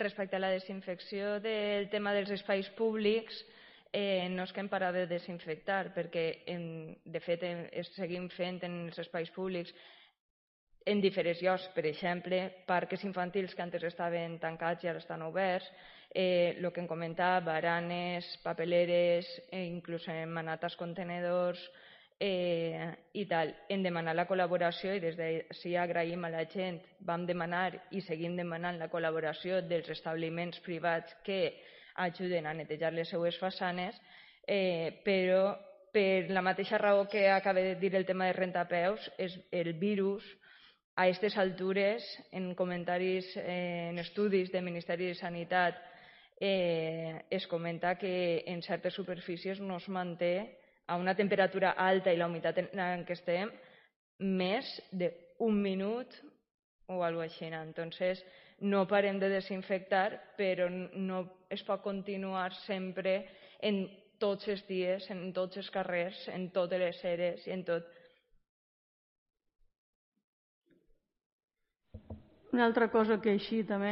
respecte a la desinfecció del tema dels espais públics, no és que hem parat de desinfectar, perquè de fet seguim fent en els espais públics en diferents llocs, per exemple, parcs infantils que antes estaven tancats i ara estan oberts, el que em comentava, baranes, papeleres, inclús en manates contenedors i tal. Hem demanat la col·laboració i des d'ací agraïm a la gent, vam demanar i seguim demanant la col·laboració dels establiments privats que ajuden a netejar les seues façanes, però per la mateixa raó que acaba de dir el tema de rentapeus, el virus a aquestes altures, en comentaris, en estudis del Ministeri de Sanitat, es comenta que en certes superfícies no es manté a una temperatura alta i la humitat en què estem més d'un minut o alguna cosa així. Entonces, no parem de desinfectar, però no es pot continuar sempre en tots els dies, en tots els carrers, en totes les eres i en tot. Una altra cosa que així també